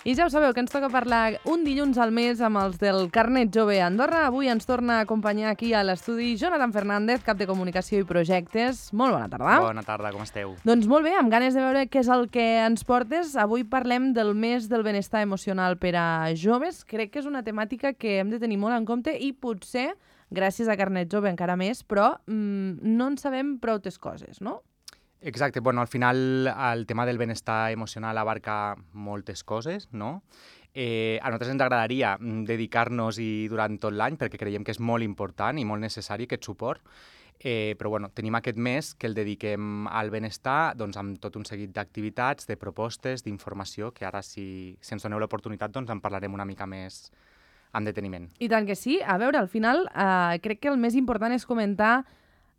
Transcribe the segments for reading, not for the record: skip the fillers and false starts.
I ja ho sabeu, que ens toca parlar un dilluns al mes amb els del Carnet Jove Andorra. Avui ens torna a acompanyar aquí a l'estudi Jonathan Fernández, cap de Comunicació i Projectes. Molt bona tarda. Bona tarda, com esteu? Doncs molt bé, amb ganes de veure què és el que ens portes. Avui parlem del mes del benestar emocional per a joves. Crec que és una temàtica que hem de tenir molt en compte i potser, gràcies a Carnet Jove encara més, però no en sabem prou coses, no? Exacte, bueno, al final el tema del benestar emocional abarca moltes coses, no? A nosaltres ens agradaria dedicar-nos-hi durant tot l'any perquè creiem que és molt important i molt necessari aquest suport, però bueno, tenim aquest mes que el dediquem al benestar doncs, amb tot un seguit d'activitats, de propostes, d'informació, que ara si ens doneu l'oportunitat doncs en parlarem una mica més amb deteniment. I tant que sí. A veure, al final crec que el més important és comentar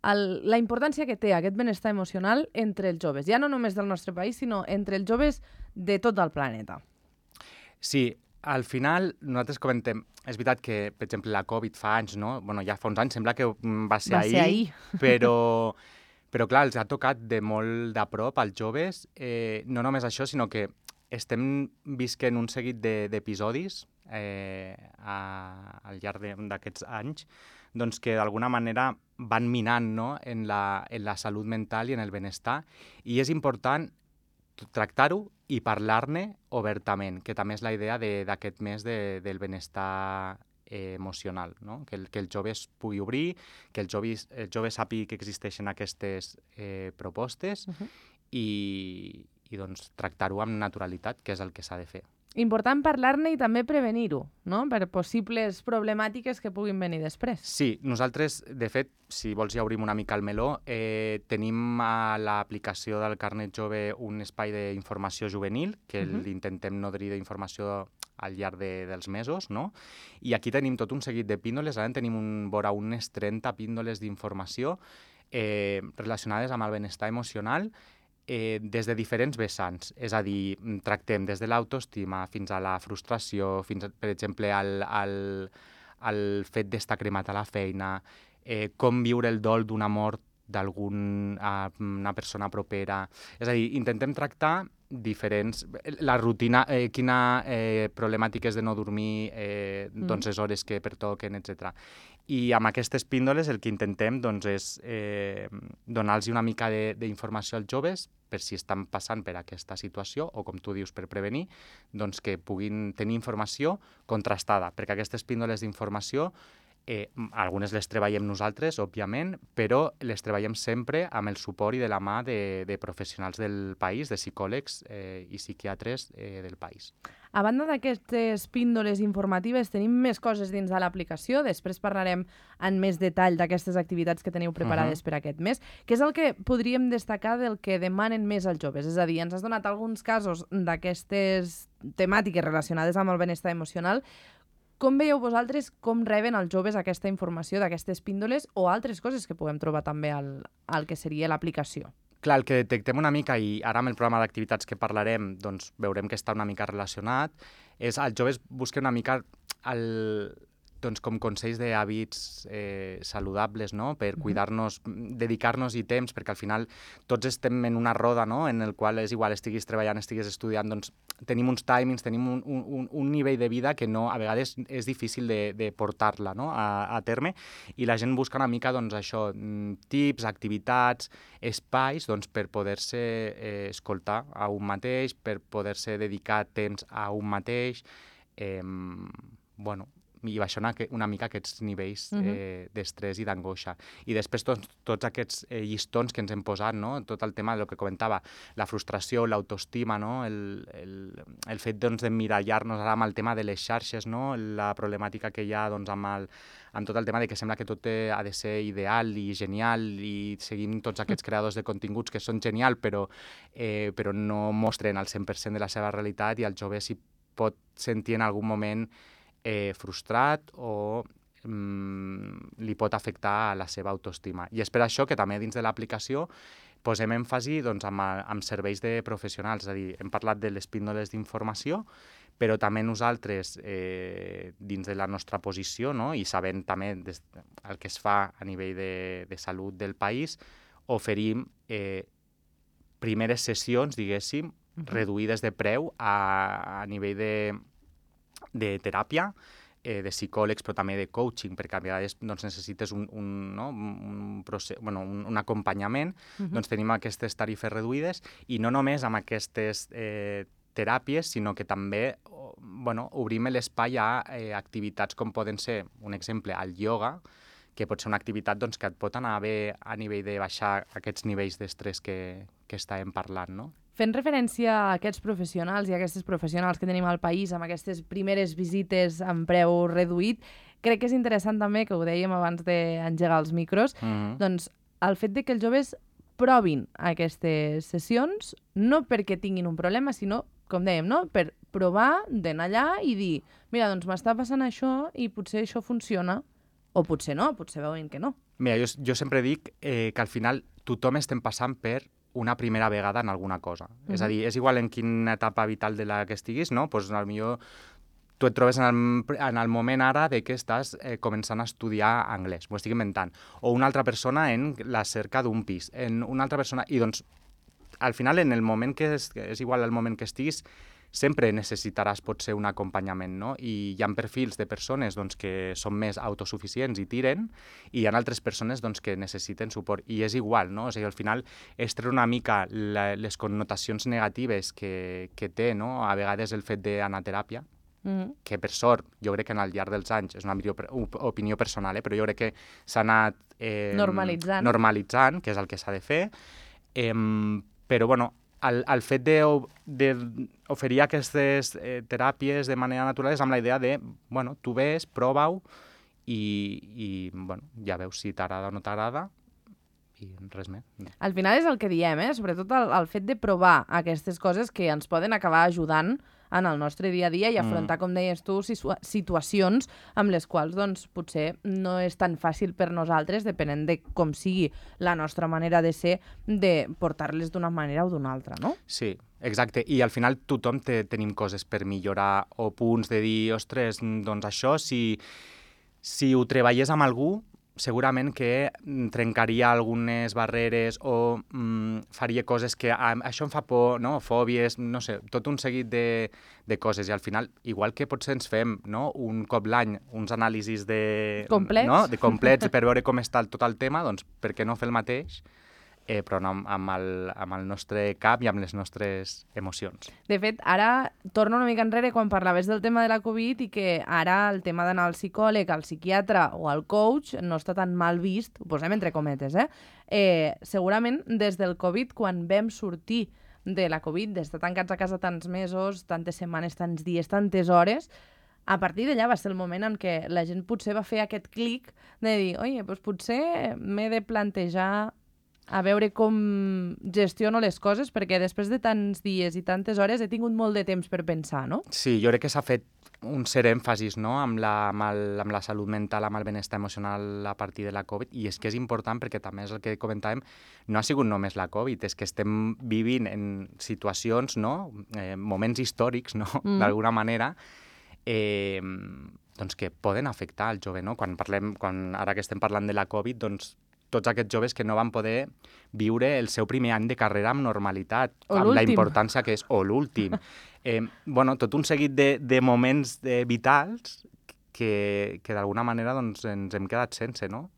la importància que té aquest benestar emocional entre els joves, ja no només del nostre país, sinó entre els joves de tot el planeta. Sí, al final nosaltres comentem, és veritat que, per exemple, la Covid fa anys, no? Bueno, ja fa uns anys, sembla que va ser ahir. Però clar, els ha tocat de molt de prop als joves, no només això, sinó que estem visquent un seguit d'episodis al llarg d'aquests anys doncs que d'alguna manera van minant, no? en la salut mental i en el benestar, i és important tractar-ho i parlar-ne obertament, que també és la idea d'aquest mes del benestar emocional, no? Que el jove es pugui obrir, que el jove sàpiga que existeixen aquestes propostes i doncs, tractar-ho amb naturalitat, que és el que s'ha de fer. Important parlar-ne i també prevenir-ho, no? Per possibles problemàtiques que puguin venir després. Sí, nosaltres, de fet, si vols ja obrim una mica el meló, tenim a l'aplicació del Carnet Jove un espai d'informació juvenil, que l'intentem nodrir d'informació al llarg dels mesos, no? I aquí tenim tot un seguit de píndoles, ara en tenim vora unes 30 píndoles d'informació relacionades amb el benestar emocional, des de diferents vessants, és a dir, tractem des de l'autoestima fins a la frustració, fins, per exemple, al fet d'estar cremat a la feina, com viure el dol d'una mort d'una persona propera. És a dir, intentem tractar diferents... La rutina, quina problemàtiques de no dormir, doncs les hores que pertoquen, etc. I amb aquestes píndoles el que intentem doncs, és donar-los una mica d'informació als joves per si estan passant per aquesta situació o, com tu dius, per prevenir, doncs que puguin tenir informació contrastada, perquè aquestes píndoles d'informació algunes les treballem nosaltres, òbviament, però les treballem sempre amb el suport i de la mà de professionals del país, de psicòlegs i psiquiatres del país. A banda d'aquestes píndoles informatives, tenim més coses dins de l'aplicació. Després parlarem en més detall d'aquestes activitats que teniu preparades per aquest mes. Què és el que podríem destacar del que demanen més als joves? És a dir, ens has donat alguns casos d'aquestes temàtiques relacionades amb el benestar emocional. Com veieu vosaltres com reben els joves aquesta informació d'aquestes píndoles o altres coses que puguem trobar també al que seria l'aplicació? Clar, el que detectem una mica, i ara amb el programa d'activitats que parlarem, doncs veurem que està una mica relacionat, és els joves busquen una mica doncs, com consells d'hàbits saludables, no? Per cuidar-nos, dedicar-nos-hi temps, perquè al final tots estem en una roda, no? En el qual és igual, estiguis treballant, estiguis estudiant, doncs tenim uns timings, tenim un nivell de vida que no, a vegades és difícil de portar-la, no? a terme, i la gent busca una mica doncs, això, tips, activitats, espais doncs, per poder-se escoltar a un mateix, per poder-se dedicar temps a un mateix, bueno, i baixar una mica aquests nivells d'estrès i d'angoixa. I després tots aquests llistons que ens hem posat, no? Tot el tema del que comentava, la frustració, l'autoestima, no? El fet doncs, d'emmirallar-nos ara amb el tema de les xarxes, no? La problemàtica que hi ha doncs, amb tot el tema de que sembla que tot ha de ser ideal i genial i seguim tots aquests creadors de continguts que són genial però no mostren el 100% de la seva realitat i el jove s'hi pot sentir en algun moment frustrat o li pot afectar a la seva autoestima. I és per això que també dins de l'aplicació posem èmfasi doncs, amb serveis de professionals, és a dir, hem parlat de les píndoles d'informació, però també nosaltres, dins de la nostra posició, no? I sabent també el que es fa a nivell de salut del país, oferim primeres sessions, diguéssim, reduïdes de preu a nivell de teràpia, de psicòlegs, però també de coaching, perquè a vegades doncs, necessites un acompanyament, doncs tenim aquestes tarifes reduïdes, i no només amb aquestes teràpies, sinó que també obrim l'espai a activitats com poden ser, un exemple, el ioga, que pot ser una activitat doncs, que et pot anar bé a nivell de baixar aquests nivells d'estrès que estàvem parlant, no? Fent referència a aquests professionals i a aquestes professionals que tenim al país amb aquestes primeres visites amb preu reduït, crec que és interessant també, que ho dèiem abans d'engegar els micros, doncs el fet de que els joves provin aquestes sessions, no perquè tinguin un problema, sinó, com dèiem, no? Per provar d'anar allà i dir, mira, doncs m'està passant això i potser això funciona, o potser no, potser veuen que no. Mira, jo sempre dic que al final tothom estem passant per una primera vegada en alguna cosa. És a dir, és igual en quina etapa vital de la que estiguis, no? Pues, potser tu et trobes en el moment ara de que estàs començant a estudiar anglès, m'ho estic inventant, o una altra persona en la cerca d'un pis, en una altra persona... I doncs, al final, en el moment que és igual el moment que estiguis, sempre necessitaràs potser un acompanyament, no? I hi ha perfils de persones doncs, que són més autosuficients i tiren, i hi ha altres persones doncs, que necessiten suport. I és igual, no? O sigui, al final és treure una mica les connotacions negatives que té, no? A vegades el fet d'anar a teràpia, que per sort, jo crec que al llarg dels anys, és una opinió personal, però jo crec que s'ha anat normalitzant, que és el que s'ha de fer, però bueno, el fet d'oferir aquestes teràpies de manera natural és amb la idea de, bueno, tu ves, prova-ho i bueno, ja veus si t'agrada o no t'agrada i res més. Al final és el que diem, sobretot el fet de provar aquestes coses que ens poden acabar ajudant en el nostre dia a dia i afrontar, com deies tu, situacions amb les quals doncs, potser no és tan fàcil per nosaltres, depenent de com sigui la nostra manera de ser, de portar-les d'una manera o d'una altra, no? Sí, exacte. I al final tothom tenim coses per millorar o punts de dir, ostres, doncs això, si ho treballés amb algú, segurament que trencaria algunes barreres o faria coses que això em fa por, no? Fòbies, no sé, tot un seguit de coses. I al final, igual que potser ens fem un cop l'any uns anàlisis complets per veure com està tot el tema, doncs per què no fer el mateix? Però no amb el nostre cap i amb les nostres emocions. De fet, ara torno una mica enrere quan parlaves del tema de la Covid i que ara el tema d'anar al psicòleg, al psiquiatre o al coach no està tan mal vist, ho posem entre cometes, segurament des del Covid, quan vam sortir de la Covid, d'estar tancats a casa tants mesos, tantes setmanes, tants dies, tantes hores, a partir d'allà va ser el moment en què la gent potser va fer aquest clic de dir, oye, doncs potser m'he de plantejar a veure com gestiono les coses, perquè després de tants dies i tantes hores he tingut molt de temps per pensar, no? Sí, jo crec que s'ha fet un cert èmfasis, no? amb la salut mental, amb el benestar emocional a partir de la Covid, i és que és important perquè també és el que comentàvem, no ha sigut només la Covid, és que estem vivint en situacions, no? Moments històrics, no? D'alguna manera, doncs que poden afectar el jove, no? Ara que estem parlant de la Covid, doncs tots aquests joves que no van poder viure el seu primer any de carrera amb normalitat, amb la importància que és, o l'últim. Tot un seguit de moments vitals que d'alguna manera doncs, ens hem quedat sense, no?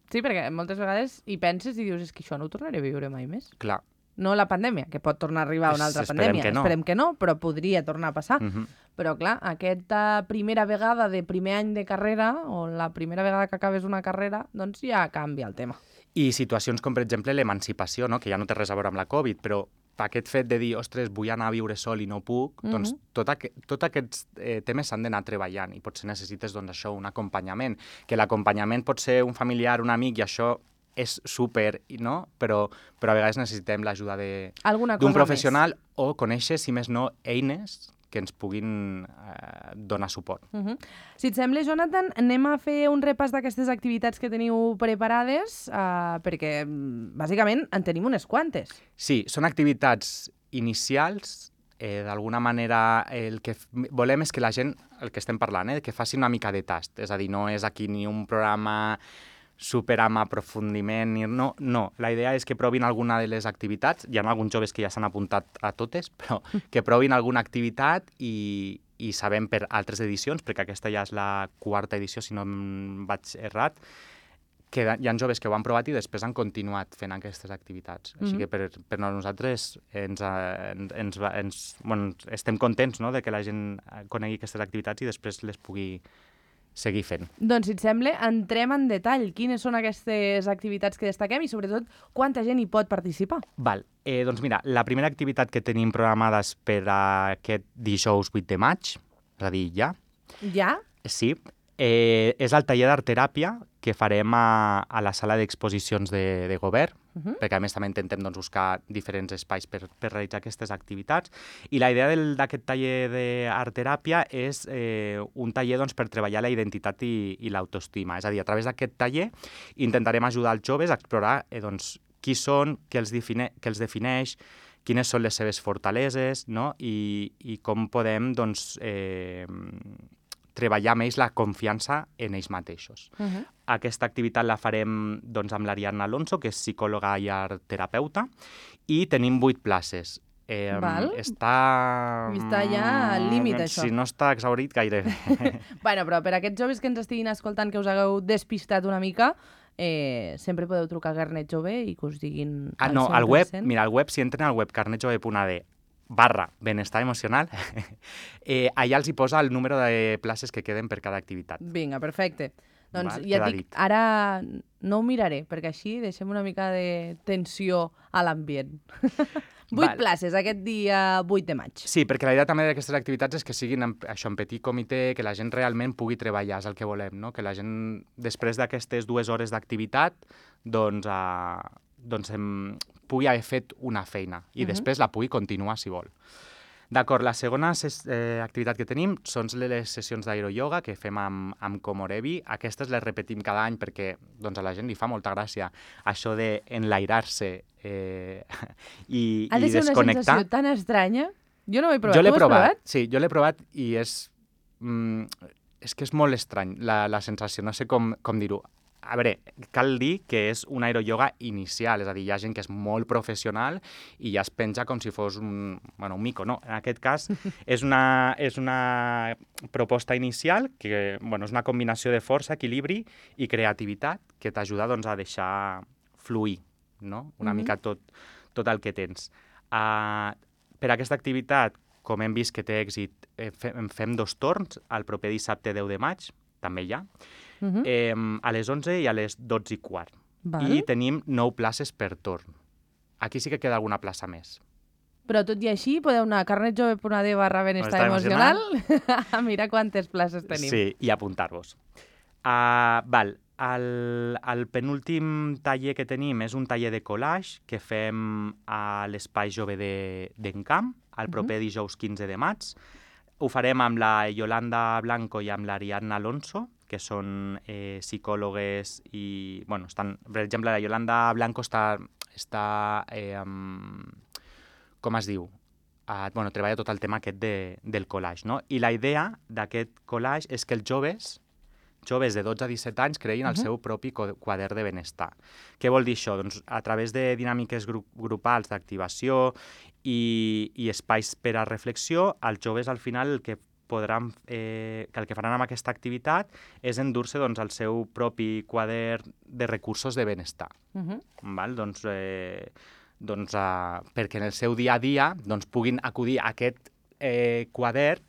Sí, perquè moltes vegades hi penses i dius, és que això no ho tornaré a viure mai més. Clar. No la pandèmia, que pot tornar a arribar una altra pandèmia. Esperem que no, però podria tornar a passar. Però clar, aquesta primera vegada de primer any de carrera, o la primera vegada que acabes una carrera, doncs ja canvia el tema. I situacions com, per exemple, l'emancipació, no? Que ja no té res a veure amb la Covid, però aquest fet de dir, ostres, vull anar a viure sol i no puc, doncs tots aquests temes s'han d'anar treballant i potser necessites doncs, això, un acompanyament, que l'acompanyament pot ser un familiar, un amic, i això és súper, no? Però a vegades necessitem l'ajuda d'un professional o conèixer, si més no, eines que ens puguin donar suport. Si et sembla, Jonathan, anem a fer un repàs d'aquestes activitats que teniu preparades, perquè, bàsicament, en tenim unes quantes. Sí, són activitats inicials. D'alguna manera, el que volem és que la gent, el que estem parlant, que faci una mica de tast. És a dir, no és aquí ni un programa super amb aprofundiment. No, la idea és que provin alguna de les activitats. Hi ha alguns joves que ja s'han apuntat a totes, però que provin alguna activitat i sabem per altres edicions, perquè aquesta ja és la 4ª edició, si no em vaig errat, que hi ha joves que ho han provat i després han continuat fent aquestes activitats. Així que per nosaltres estem contents, no?, de que la gent conegui aquestes activitats i després les pugui seguir fent. Doncs, si et sembla, entrem en detall. Quines són aquestes activitats que destaquem i, sobretot, quanta gent hi pot participar? Val. Doncs mira, la primera activitat que tenim programada és per aquest dijous 8 de maig, és a dir, ja. Ja? Sí. És el taller d'art-teràpia que farem a la sala d'exposicions de govern, perquè a més també intentem buscar diferents espais per realitzar aquestes activitats. I la idea d'aquest taller d'art-teràpia és un taller per treballar la identitat i l'autoestima. És a dir, a través d'aquest taller intentarem ajudar els joves a explorar qui són, què els defineix, quines són les seves fortaleses, no? I com podem treballar més la confiança en ells mateixos. Aquesta activitat la farem amb l'Ariadna Alonso, que és psicòloga i art-terapeuta, i tenim 8 places. Està ja al límit, això. Si no està exhaurit, gairebé. Bueno, però per aquests joves que ens estiguin escoltant, que us hagueu despistat una mica, sempre podeu trucar a Carnet Jove i que us diguin al 100%. Al web, mira, al web, si entren al web carnetjove.ad/benestar emocional, allà els hi posa el número de places que queden per cada activitat. Vinga, perfecte. Doncs ja et dic, ara no ho miraré, perquè així deixem una mica de tensió a l'ambient. 8 places aquest dia 8 de maig. Sí, perquè la idea també d'aquestes activitats és que siguin en petit comitè, que la gent realment pugui treballar, és el que volem, no? Que la gent, després d'aquestes 2 hores d'activitat, pugui haver fet una feina i després la pugui continuar si vol. D'acord, la segona activitat que tenim són les sessions d'aeroyoga que fem amb Komorebi. Aquestes les repetim cada any perquè a la gent li fa molta gràcia això d'enlairar-se i desconnectar. Ha de ser una sensació tan estranya. Jo no ho he provat. Jo l'he provat. Sí, jo l'he provat i és que és molt estrany la sensació, no sé com dir-ho. A veure, cal dir que és un aeroyoga inicial, és a dir, hi ha gent que és molt professional i ja es penja com si fos un mico. No, en aquest cas és una proposta inicial que és una combinació de força, equilibri i creativitat que t'ajuda a deixar fluir, no? Una mica tot el que tens. Per aquesta activitat, com hem vist que té èxit, fem 2 torns, el proper dissabte 10 de maig, també hi ha, a les 11 i a les 12:15. I tenim 9 places per torn. Aquí sí que queda alguna plaça més. Però tot i així podeu anar a carnetjove.ad/benestar emocional a mirar quantes places tenim. Sí, i apuntar-vos. El penúltim taller que tenim és un taller de collage que fem a l'Espai Jove d'Encamp el proper dijous 15 de maig. Ho farem amb la Yolanda Blanco i amb l'Ariadna Alonso, que són psicòlogues i... per exemple, la Yolanda Blanco està com es diu? Treballa tot el tema aquest del collage, no? I la idea d'aquest collage és que els joves de 12 a 17 anys creïn el seu propi quadern de benestar. Què vol dir això? Doncs a través de dinàmiques grupals d'activació i espais per a reflexió, els joves al final el que faran amb aquesta activitat és endur-se el seu propi quadern de recursos de benestar. Perquè en el seu dia a dia puguin acudir a aquest quadern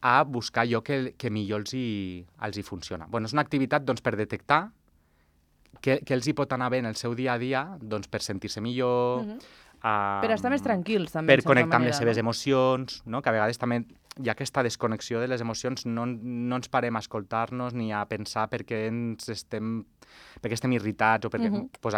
a buscar allò que millor els hi funciona. És una activitat per detectar què els hi pot anar bé en el seu dia a dia per sentir-se millor, per estar més tranquils, també. Per connectar amb les seves emocions, no? Que a vegades també hi ha aquesta desconnexió de les emocions, no ens parem a escoltar-nos ni a pensar per què estem irritats o perquè...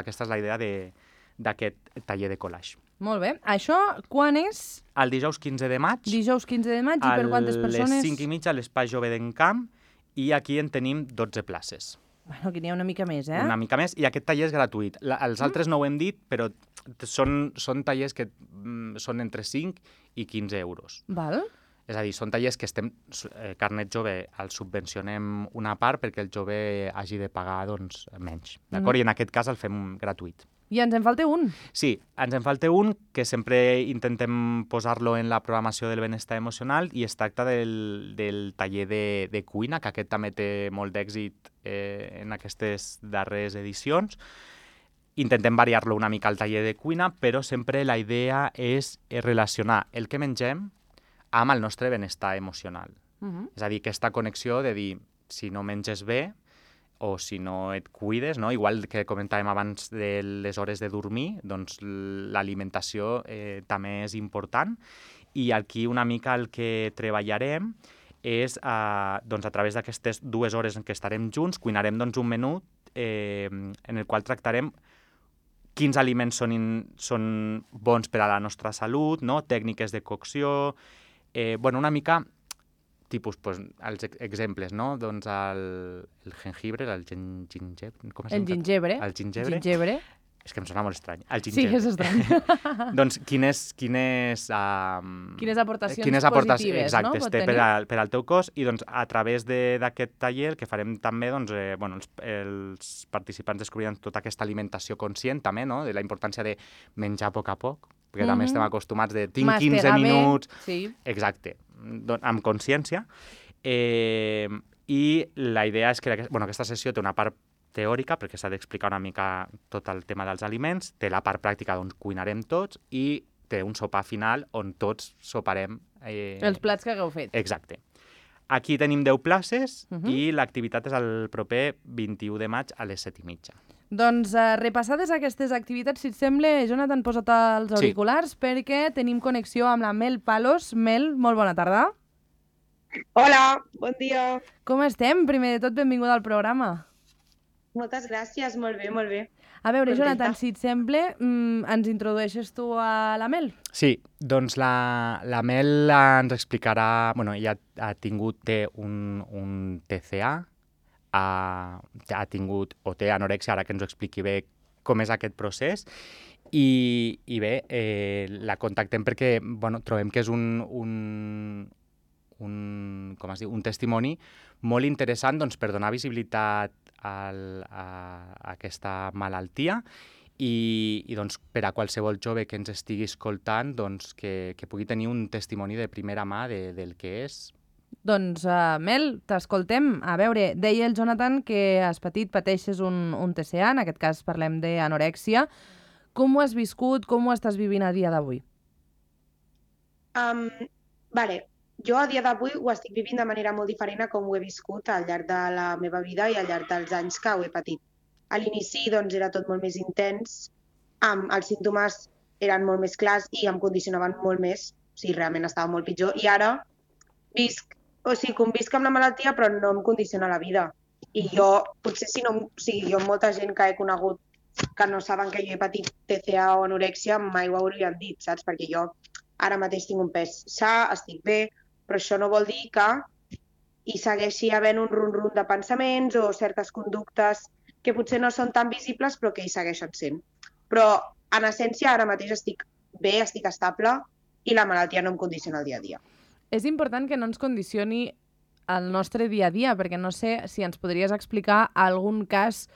Aquesta és la idea d'aquest taller de collage. Molt bé. Això quan és? El dijous 15 de maig. Dijous 15 de maig i per quantes persones? A les 5:30 a l'Espai Jove d'Encamp i aquí en tenim 12 places. Aquí n'hi ha una mica més, Una mica més, i aquest taller és gratuït. Els altres no ho hem dit, però són tallers que són entre 5 i 15 euros. Val. És a dir, són tallers que Carnet Jove el subvencionem una part perquè el jove hagi de pagar doncs, menys. D'acord? I en aquest cas el fem gratuït. I ens en falta un. Sí, ens en falta un que sempre intentem posar-lo en la programació del benestar emocional i es tracta del taller de cuina, que aquest també té molt d'èxit en aquestes darreres edicions. Intentem variar-lo una mica al taller de cuina, però sempre la idea és relacionar el que mengem amb el nostre benestar emocional. És a dir, aquesta connexió de dir, si no menges bé, o si no et cuides, no? Igual que comentàvem abans de les hores de dormir, doncs l'alimentació també és important. I aquí una mica el que treballarem és, doncs, a través d'aquestes 2 hores en què estarem junts, cuinarem doncs, un menú en el qual tractarem quins aliments són bons per a la nostra salut, no? Tècniques de cocció, una mica tipus, els exemples, no? Doncs el jengibre, el gingebre... El gingebre. El gingebre. Gingebre. És que em sona molt estrany. El Sí, gingebre. és estrany. Doncs quines aportacions positives, exacte, no? té per al teu cos i doncs a través d'aquest taller el que farem també, doncs, els participants descobriran tota aquesta alimentació conscient també, no? De la importància de menjar a poc, perquè també estem acostumats de tinc 15 minuts... Sí. Exacte, amb consciència. I la idea és que aquesta sessió té una part teòrica, perquè s'ha d'explicar una mica tot el tema dels aliments, té la part pràctica on cuinarem tots i té un sopar final on tots soparem... Els plats que hagueu fet. Exacte. Aquí tenim 10 places i l'activitat és el proper 21 de maig a les 7:30. Doncs repassades aquestes activitats, si et sembla, Jonathan, posa't els auriculars perquè tenim connexió amb la Mel Palos. Mel, molt bona tarda. Hola, bon dia. Com estem? Primer de tot, benvinguda al programa. Moltes gràcies, molt bé, molt bé. A veure, Contenta. Jonathan, si et sembla, ens introdueixes tu a la Mel? Sí, doncs la Mel ens explicarà... Ella té un TCA, ha tingut o té anorèxia, ara que ens ho expliqui bé com és aquest procés, i bé, la contactem perquè trobem que és un testimoni molt interessant doncs, per donar visibilitat a aquesta malaltia i doncs, per a qualsevol jove que ens estigui escoltant doncs, que pugui tenir un testimoni de primera mà del que és. Doncs, Mel, t'escoltem. A veure, deia el Jonathan que has pateixes un TCA, en aquest cas parlem d'anorèxia. Com ho has viscut, com ho estàs vivint a dia d'avui? Jo a dia d'avui ho estic vivint de manera molt diferent a com ho he viscut al llarg de la meva vida i al llarg dels anys que ho he patit. A l'inici doncs, era tot molt més intens, els símptomes eren molt més clars i em condicionaven molt més, o sigui, realment estava molt pitjor. I ara convisc amb la malaltia però no em condiciona la vida. I jo, potser jo molta gent que he conegut que no saben que jo he patit TCA o anorèxia mai ho haurien dit, saps? Perquè jo ara mateix tinc un pes sa, estic bé, però això no vol dir que hi segueixi havent un rum-rum de pensaments o certes conductes que potser no són tan visibles però que hi segueixen sent. Però, en essència, ara mateix estic bé, estic estable i la malaltia no em condiciona el dia a dia. És important que no ens condicioni el nostre dia a dia, perquè no sé si ens podries explicar algun cas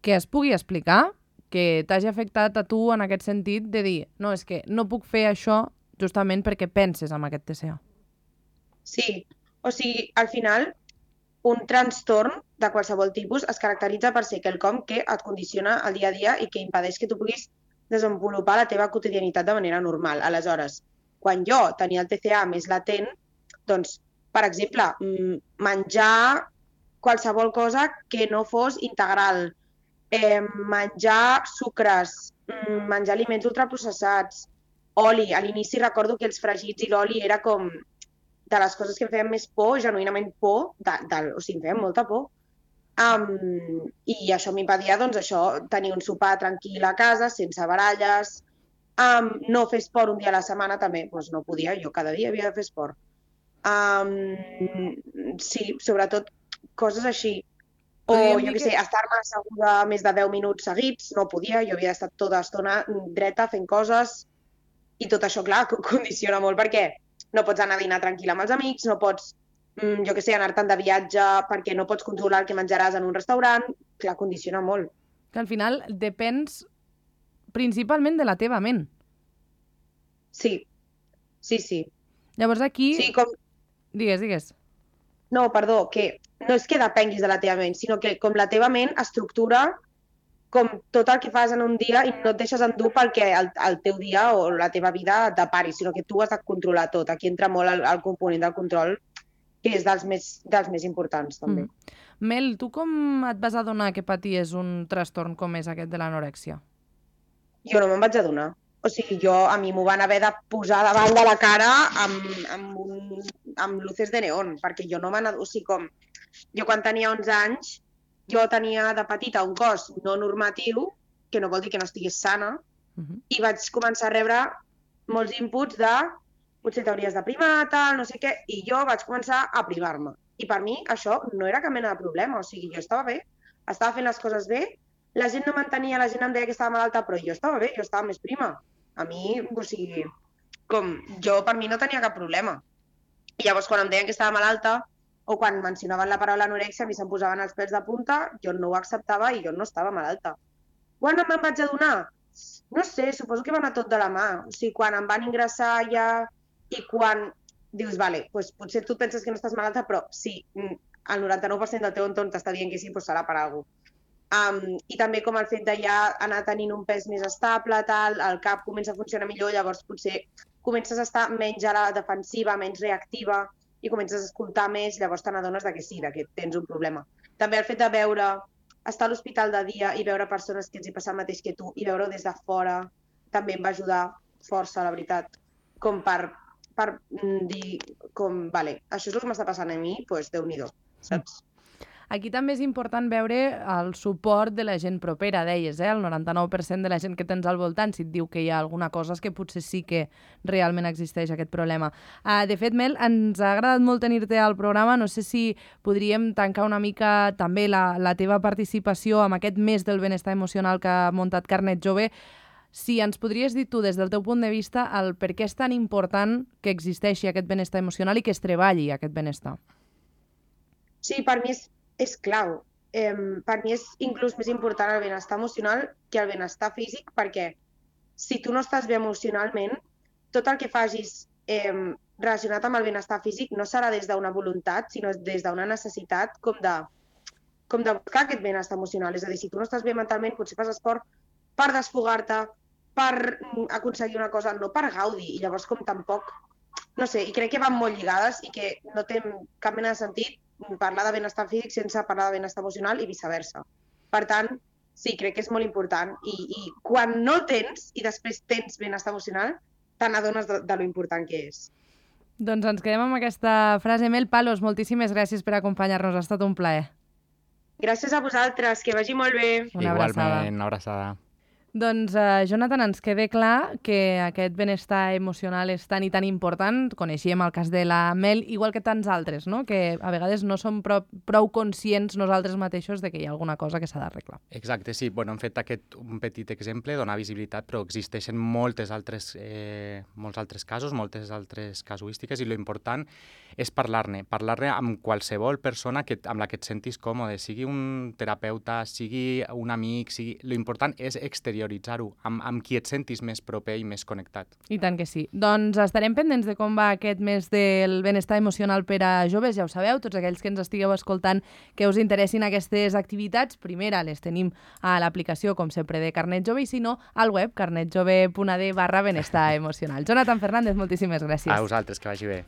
que es pugui explicar, que t'hagi afectat a tu en aquest sentit de dir, no, és que no puc fer això justament perquè penses en aquest TCA. Sí, o sigui, al final, un trastorn de qualsevol tipus es caracteritza per ser quelcom que et condiciona el dia a dia i que impedeix que tu puguis desenvolupar la teva quotidianitat de manera normal. Aleshores, quan jo tenia el TCA més latent, doncs, per exemple, menjar qualsevol cosa que no fos integral, menjar sucres, menjar aliments ultraprocessats, oli. A l'inici recordo que els fregits i l'oli era com de les coses que em feien més por, genuïnament por, o sigui, em feien molta por. I això m'impedia, doncs, tenir un sopar tranquil a casa, sense baralles, no fer esport un dia a la setmana també, doncs no podia, jo cada dia havia de fer esport. Sí, sobretot coses així. O, jo què sé, estar-me asseguda més de 10 minuts seguits, no podia, jo havia estat tota l'estona dreta fent coses i tot això, clar, condiciona molt perquè no pots anar a dinar tranquil amb els amics, no pots, jo què sé, anar-te'n de viatge perquè no pots controlar el que menjaràs en un restaurant. Clar, condiciona molt. Que al final depens principalment de la teva ment. Sí. Llavors aquí... Sí, com... Digues. No, perdó, que no és que depenguis de la teva ment, sinó que com la teva ment estructura com tot el que fas en un dia i no et deixes endur perquè el teu dia o la teva vida et depari, sinó que tu has de controlar tot. Aquí entra molt el component del control, que és dels més importants, també. Mel, tu com et vas adonar que paties un trastorn com és aquest de l'anorèxia? Jo no me'n vaig adonar. O sigui, a mi m'ho van haver de posar davant de la cara amb luces de neon, perquè jo no m'han... O sigui, jo quan tenia 11 anys, jo tenia de petita un cos no normatiu, que no vol dir que no estigués sana, i vaig començar a rebre molts inputs de potser t'hauries de primar, tal, no sé què, i jo vaig començar a primar-me. I per mi això no era cap mena de problema, o sigui, jo estava bé, estava fent les coses bé, la gent no m'entenia, la gent em deia que estava malalta, però jo estava bé, jo estava més prima. A mi, o sigui, per mi no tenia cap problema. I llavors, quan em deien que estava malalta, o quan mencionaven la paraula anorèxia, a mi se'm posaven els pèls de punta, jo no ho acceptava i jo no estava malalta. Quan me'n vaig adonar? No sé, suposo que va anar tot de la mà. O sigui, quan em van ingressar ja i quan dius, vale, doncs potser tu penses que no estàs malalta, però sí, el 99% del teu entorn t'està dient que sí, doncs serà per alguna cosa. I també com el fet de ja anar tenint un pes més estable, tal, el cap comença a funcionar millor, llavors potser comences a estar menys a la defensiva, menys reactiva, i comences a escoltar més, llavors te n'adones que sí, que tens un problema. També el fet de estar a l'hospital de dia i veure persones que els hi passa el mateix que tu i veure-ho des de fora també em va ajudar força, la veritat, com per dir, vale, això és el que m'està passant a mi, doncs Déu-n'hi-do, saps? Aquí també és important veure el suport de la gent propera, deies, el 99% de la gent que tens al voltant, si et diu que hi ha alguna cosa és que potser sí que realment existeix aquest problema. De fet, Mel, ens ha agradat molt tenir-te al programa, no sé si podríem tancar una mica també la teva participació amb aquest mes del benestar emocional que ha muntat Carnet Jove. Si ens podries dir tu, des del teu punt de vista, el per què és tan important que existeixi aquest benestar emocional i que es treballi aquest benestar. Sí, per mi és clau. Per mi és inclús més important el benestar emocional que el benestar físic, perquè si tu no estàs bé emocionalment, tot el que facis relacionat amb el benestar físic no serà des d'una voluntat, sinó des d'una necessitat com de buscar aquest benestar emocional. És a dir, si tu no estàs bé mentalment, potser fas esport per desfogar-te, per aconseguir una cosa, no per gaudir. I llavors com tampoc, no sé, i crec que van molt lligades i que no té cap mena de sentit parlar de benestar físic sense parlar de benestar emocional i viceversa. Per tant, sí, crec que és molt important i quan no el tens i després tens benestar emocional, te n'adones de lo important que és. Doncs ens quedem amb aquesta frase. Mel Palos, moltíssimes gràcies per acompanyar-nos, ha estat un plaer. Gràcies a vosaltres, que vagi molt bé. Una abraçada. Igualment, una abraçada. Doncs, Jonathan, ens queda clar que aquest benestar emocional és tan i tan important. Coneixíem el cas de la Mel, igual que tants altres, no? Que a vegades no som prou conscients nosaltres mateixos de que hi ha alguna cosa que s'ha d'arreglar. Exacte, sí. Bueno, hem fet un petit exemple, donar visibilitat, però existeixen molts altres casos, moltes altres casuístiques, i l'important és parlar-ne amb qualsevol persona amb la que et sentis còmode, sigui un terapeuta, sigui un amic, l'important és exterioritzar-ho amb qui et sentis més proper i més connectat. I tant que sí. Doncs estarem pendents de com va aquest mes del benestar emocional per a joves, ja ho sabeu, tots aquells que ens estigueu escoltant que us interessin aquestes activitats, primera les tenim a l'aplicació, com sempre, de Carnet Jove, i si no, al web carnetjove.ad/benestar emocional. Jonathan Fernández, moltíssimes gràcies. A vosaltres, que vagi bé.